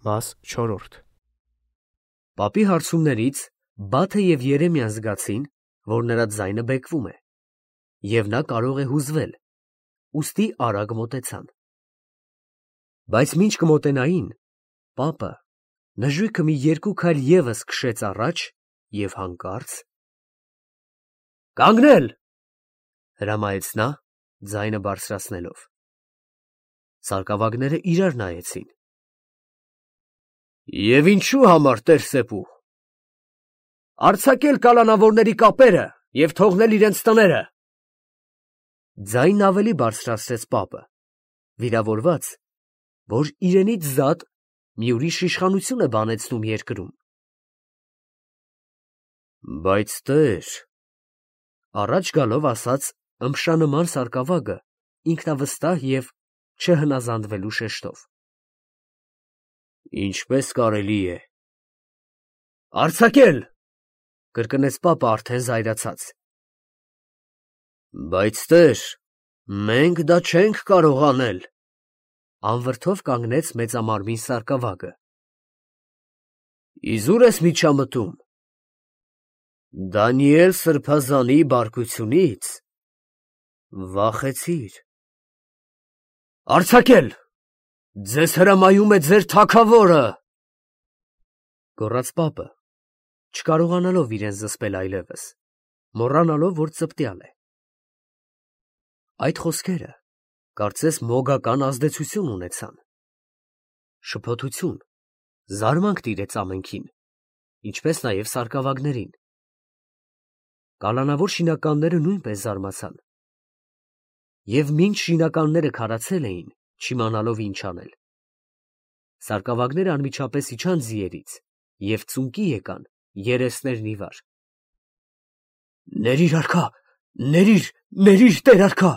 Վաս 4 Պապի հարցումներից Բաթը և Երեմիան զգացին, որ նրա ձայնը բեկվում է, և նա կարող է հուզվել, ուստի արագ մոտեցան. բայց մինչ կմոտենային, պապը նժույգը մի 2 քայլ ևս քշեց առաջ և հանկարծ «Կանգնել», հրամայեց նա, ձայնը բարձրացնելով։ Սարկավագները իրար նայեցին։ «Եվ ինչու համար, տեր Սեպու»։ «Արձակել կալանավորների կապերը և թողնել իրենց տները», ձայնն ավելի բարձրացրեց պապը, վիրավորված, որ իրենից զատ մի ուրիշ իշխանություն է բանեցնում երկրում։ «Բայց տեր», առաջ գալով ասաց ըմպշանման սարկավագը ինքնավստահ և չհնազանդվելու շեշտով։ «Ինչպես կարելի է»։ «Արձակել», կրկնեց պապը արդեն զայրացած։ «Բայց տեր, մենք դա չենք կարող անել», անվրդով կանգնեց մեծամարմին սարկավագը։ «Իզուր ես միջամտում։ Դանիել սրբազանի բարկությունից վախեցիր»։ «Արձակել, ձեզ հրամայում է ձեր թագավորը», գոռաց պապը, չկարողանալով իրեն զսպել այլևս, մոռանալով, որ ծպտյալ է։ Այդ խոսքերը, կարծես մոգական ազդեցություն ունեցան։ Շփոթություն, զարմանք տիրեց ամենքին, ինչպես նաև սարկավագներին։ Կալանավոր շինականները նույնպես զարմացան։ Եվ մինչ շինականները քարացել էին, չիմանալով ինչ անել, սարկավագները անմիջապես իջան ձիերից և ծունկի եկան երեսներն ի վար։ «Ներիր, արքա, ներիր, տեր արքա։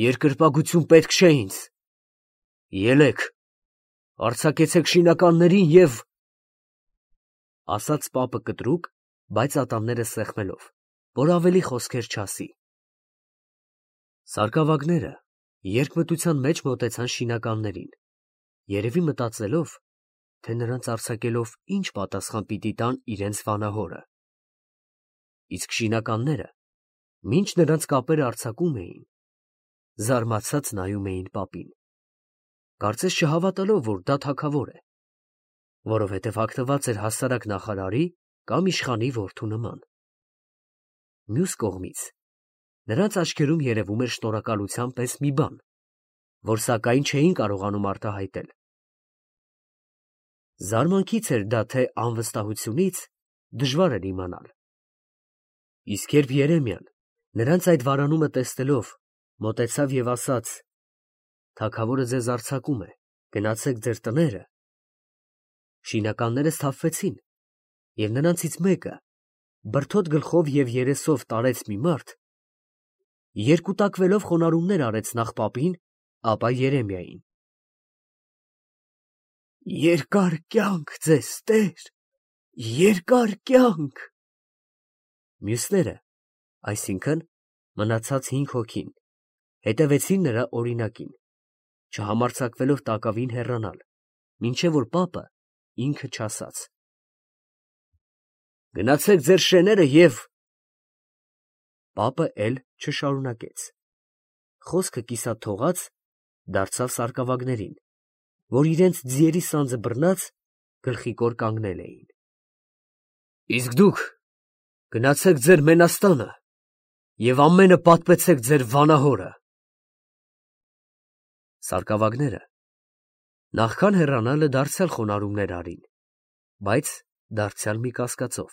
Երկրպագություն պետք չէ ինձ։ Ելեք, արձակեցեք շինականներին և…» ասաց պապը կտրուկ, բայց ատամները սեղմելով, որ ավելի խոսքեր չասի։ Սարկավագները երկմտության մեջ մոտեցան շինականներին, երևի մտածելով, թե նրանց արձակելով ինչ պատասխան պիտի տան իրենց վանահորը։ Իսկ շինականները, մինչ նրանց կապերը արձակում էին, զարմացած նայում էին պապին, կարծես չհավատալով, որ դա թագավոր է, որովհետև հագնված էր հասարակ նախարարի կամ իշխանի որդու նման։ Մյուս կողմից, նրանց աչքերում երևում էր շնորհակալության պես մի բան, որ սակայն չէին կարողանում արտահայտել։ Զարմանքից էր դա, թե անվստահությունից, դժվար էր իմանալ։ Իսկ երբ Երեմիան, նրանց այդ վարանումը տեսնելով, մոտեցավ և ասաց. «Թագավորը ձեզ արձակում է, գնացեք ձեր տները», շինականները սթափվեցին, և նրանցից մեկը, բրդոտ գլխով և երեսով տարեց մի մարդ, երկուտակվելով խոնարհումներ արեց նախ պապին, ապա Երեմիային։ «Երկար կյանք ձեզ, տեր, երկար կյանք»։ Մյուսները, այսինքն՝ մնացած 5 հոգին, հետևեցին նրա օրինակին, չհամարձակվելով տակավին հեռանալ, մինչև որ պապը ինքը չասաց. «Գնացեք ձեր շեները և…» Պապը էլ չշարունակեց։ Խոսքը կիսատ թողած, դարձավ սարկավագներին, որ իրենց ձիերի սանձը բռնած, գլխիկոր կանգնել էին։ «Իսկ դուք գնացեք ձեր մենաստանը և ամենը պատմեցեք ձեր վանահորը»։ Սարկավագները նախքան հեռանալը դարձյալ խոնարհումներ արին, բայց դարձյալ մի կասկածով,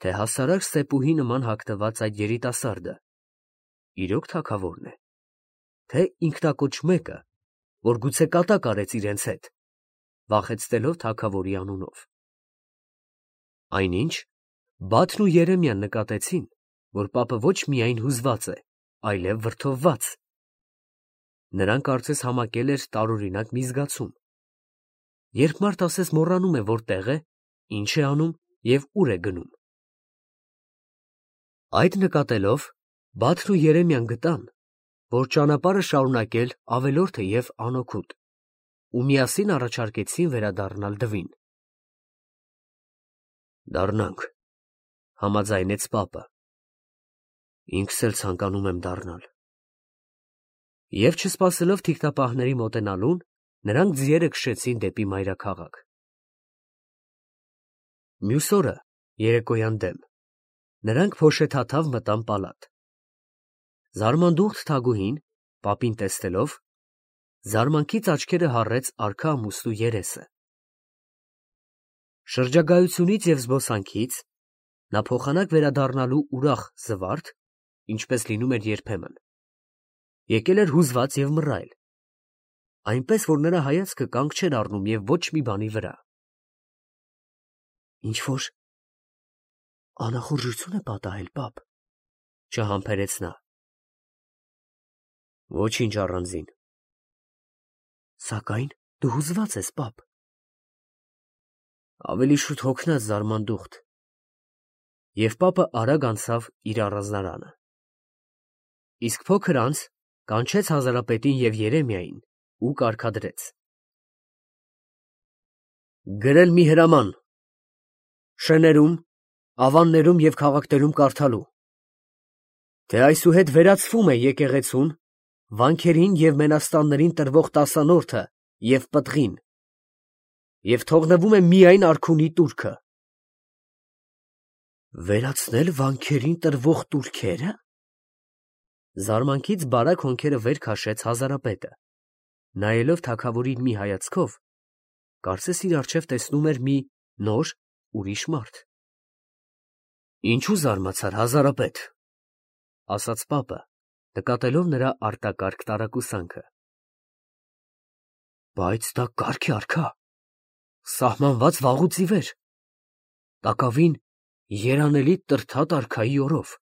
թե հասարակ Սեպուհի նման հագնված այդ երիտասարդը իրոք թագավորն է, թե ինքնակոչ մեկը, որ գուցե կատակ արեց իրենց հետ, վախեցնելով թագավորի անունով։ Այնինչ Բաթն ու Երեմիան նկատեցին, որ պապը ոչ միայն հուզված է, այլև վրդովված։ Նրան կարծես համակել էր տարօրինակ մի զգացում, երբ մարդ ասես մոռանում է որտեղ է, ինչ է անում և ուր է գնում։ Այդ նկատելով Բաթն ու Երեմիան գտան, որ ճանապարհը շարունակել ավելորդ է և անօգուտ։ ու միասին առաջարկեցին վերադառնալ դվին։ Դառնանք, համաձայնեց պապը։ Ինքս էլ ցանկանում եմ դառնալ։ Եվ չսպասելով թիկնապահների մոտենալուն, նրանք ձիերը քշեցին դեպի մայրաքաղաք։ Մյուս օրը, երեկոյան դեմ, նրանք փոշեթաթավ մտան պալատ։ Զարմանդուխտ թագուհին, պապին տեսնելով, զարմանքից աչքերը հառեց արքա ամուսնու երեսը։ Շրջագայությունից և զբոսանքից նա փոխանակ վերադառնալու ուրախ զվարթ, ինչպես լինում էր երբեմն, եկել էր հուզված և մռայլ, այնպես, որ նրա հայացքը կանգ չէր առնում և ոչ մի բանի վրա։ Ինչ-որ անախորժություն է պատահել, պապ, չհամբերեց նա։ Ոչինչ առանձին։ Սակայն դու հուզված ես, պապ։ Ավելի շուտ հոգնած զարմանդուխտ։ Եվ պապը արագ անցավ իր առանձնարանը։ Իսկ փոքր անց կանչեց Հազարապետին և Երեմիային ու կարգադրեց. Գրել մի հրաման, շներում, ավաններում և քաղաքներում կարդալու, թե այսուհետ վերացվում է եկեղեցուն, վանքերին և մենաստաններին տրվող տասանորդը և պտղին, և թողնվում է միայն արքունի տուրքը։ Վերացնել վանքերին տրվող տուրքերը։ Զարմանքից բարակ հոնքերը վեր քաշեց Հազարապետը, նայելով թագավորին մի հայացքով, կարծես իր առջև տեսնում էր մի նոր, ուրիշ մարդ։ Ինչու զարմացար, Հազարապետ, ասաց պապը, նկատելով նրա արտակարգ տարակուսանքը։ Բայց դա կարգ է, արքա, սահմանված վաղուց ի վեր, տակավին երանելի Տրդատ արքայի օրով։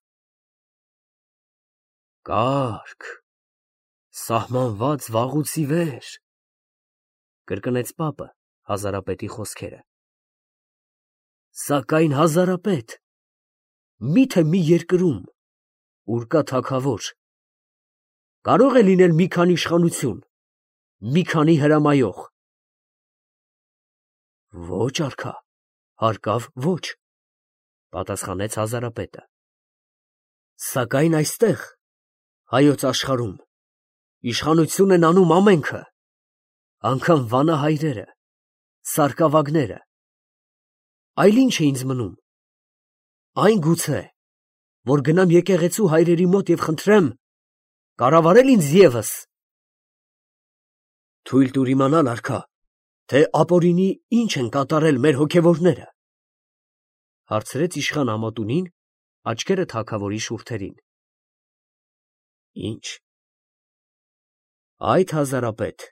Կարգ, սահմանված վաղուց ի վեր, կրկնեց պապը Հազարապետի խոսքերը։ Սակայն, Հազարապետ, միթե մի երկրում, ուր կա թագավոր, կարո՞ղ է լինել մի քանի իշխանություն, մի քանի հրամայող։ Ոչ, արքա, հարկավ ոչ, պատասխանեց Հազարապետը։ Սակայն այստեղ, հայոց աշխարհում, իշխանություն են անում ամենքը, անգամ վանահայրերը, սարկավագները, այլ ինչ է ինձ մնում, այն գուցե, որ գնամ եկեղեցու հայրերի մոտ և խնդրեմ կառավարել ինձ ևս։ Թույլ տուր իմանալ, արքա, թե ապօրինի ինչ են կատարել մեր հոգևորները, հարցրեց իշխան Ամոտունին, աչքերը թագավորի շուրթերին։ Ինչ։ Այդ, Հազարապետ,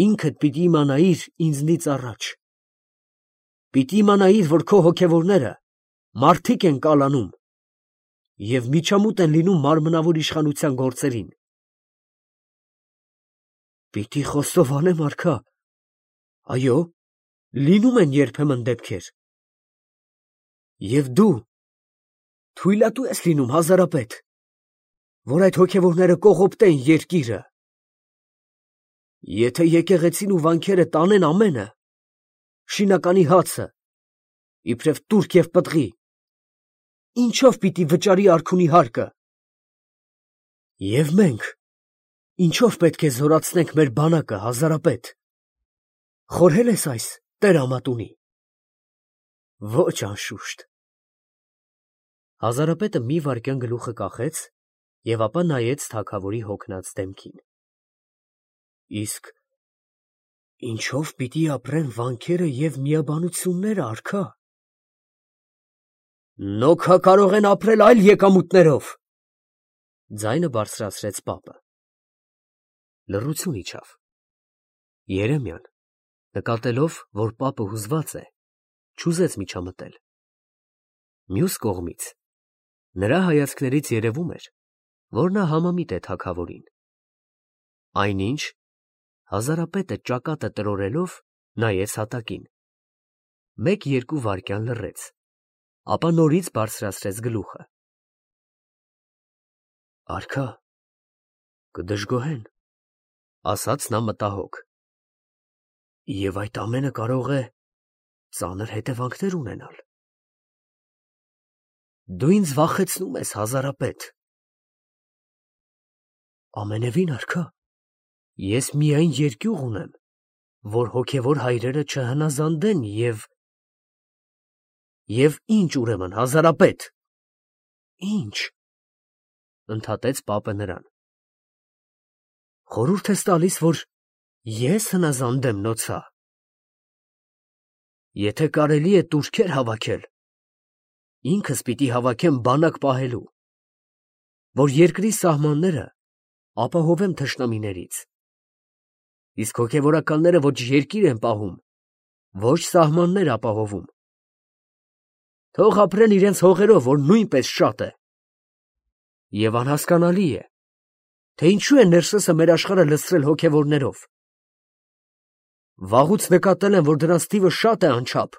ինքդ պիտի իմանայիր ինձնից առաջ։ Պիտի իմանայիր, որ քո հոգևորները մարդիկ են կալանում և միջամուտ են լինում մարմնավոր իշխանության գործերին։ Պիտի խոստովանեմ, արքա, այո, լինում են երբեմն դեպքեր։ Եվ դու թույլատու ես լինում, Հազարապետ, որ այդ հոգևորները կողոպտեն երկիրը։ Եթե եկեղեցին ու վանքերը տանեն ամենը, շինականի հացը, իբրև տուրք և պտղի, ինչով պիտի վճարի արքունի հարկը։ Եվ մենք ինչով պետք է զորացնենք մեր բանակը, Հազարապետ, խորհե՞լ ես այս տեր Ամատունի։ Ոչ, անշուշտ։ Հազարապետը մի վայրկյան գլուխը կախեց և ապա նայեց թագավորի հոգնած դեմքին։ Իսկ ինչով պիտի ապրեն վանքերը և միաբանությունները, արքա։ Նոքա կարող են ապրել այլ եկամուտներով, ձայնը բարձրացրեց պապը։ Լռություն իջավ։ Երեմիան, նկատելով, որ պապը հուզված է, չուզեց միջամտել։ Մյուս կողմից, նրա հայացքներից երևում էր, որ նա համամիտ է թագավորին։ Այնինչ, Հազարապետը ճակատը տրորելով նայեց հատակին։ Մեկ-երկու վայրկյան լռեց, ապա նորից բարձրացրեց գլուխը։ Արքա, կդժգոհեն, ասաց նա մտահոգ։ Եվ այդ ամենը կարող է ծանր հետևանքներ ունենալ։ Դու ինձ վախեցնում ես, հազարապետ։ Ամենևին արքա, ես միայն երկյուղ ունեմ, որ հոգևոր հայրերը չհնազանդեն և ինչ ուրեմն, հազարապետ։ Ինչ, ընդհատեց պապը նրան։ Խորհուրդ ես տալիս, որ ես հնազանդեմ նոցա։ Եթե կարելի է տուրքեր հավաքել, ինքս պիտի հավաքեմ բանակ պահելու, որ երկրի սահմանները ապահովեմ թշնամիներից, իսկ հոգևորականները ոչ երկիր են պահում, ոչ սահմաններ ապահովում, թող ապրեն իրենց հողերով, որ նույնպես շատ է։ Եվ անհասկանալի է, թե ինչու է ներսեսը մեր աշխարհը լցրել հոգևորներով։ Վաղուց նկատել եմ, որ դրանց թիվը շատ է անչափ։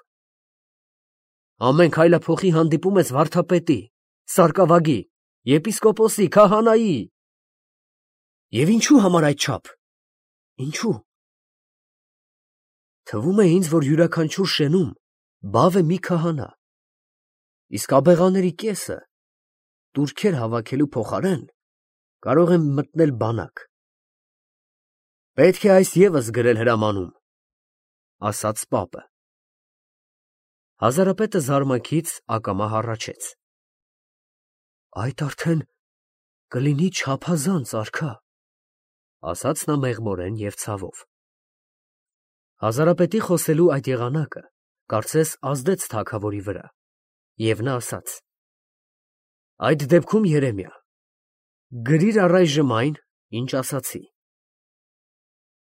Ամեն քայլափոխի հանդիպում ես վարդապետի, սարկավագի, եպիսկոպոսի, քահանայի։ Եվ ինչու համար այդչափ։ Ինչու։ Թվում է ինձ, որ յուրաքանչյուր շենում բավ է մի քահանա, իսկ աբեղաների կեսը տուրքեր հավաքելու փոխարեն կարող են մտնել բանակ։ Պետք է այս ևս գրել հրամանում, ասաց պապը։ Հազարապետը զարմանքից ակամա հառաչեց։ Այդ արդեն կլինի չափազանց, արքա, ասաց նա մեղմորեն և ցավով։ Հազարապետի խոսելու այդ եղանակը կարծես ազդեց թագավորի վրա, և նա ասաց. Այդ դեպքում, Երեմիա, գրիր առայժմ այն, ինչ ասացի։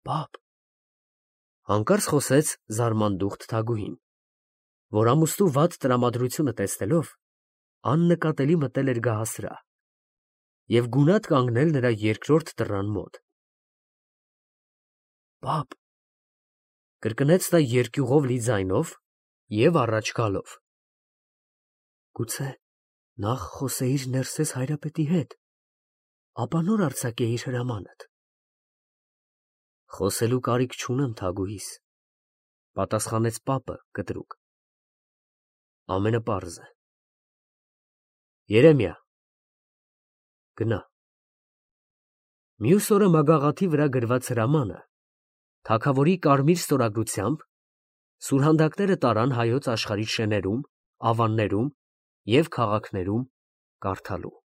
Պապ, հանկարծ խոսեց զարմանդուխտ թագուհին, որ ամուսնու վատ տրամադրությունը տեսնելով աննկատելի մտել էր գահասրահ և գունատ կանգնել նրա երկրորդ դռան մոտ։ Պապ, կրկնեց նա երկյուղով լի ձայնով և առաջ գալով։ Գուցե նախ խոսեիր Ներսես Հայրապետի հետ, ապա նոր արձակեիր հրամանդ։ Խոսելու կարիք չունեմ, թագուհիս, պատասխանեց պապը կտրուկ։ Ամենը պարզ է։ Երեմիա, գնա։ Մյուս օրը մագաղաթի վրա գրված հրամանը թագավորի կարմիր ստորագրությամբ սուրհանդակները տարան հայոց աշխարհի շեներում, ավաններում և քաղաքներում կարդալու։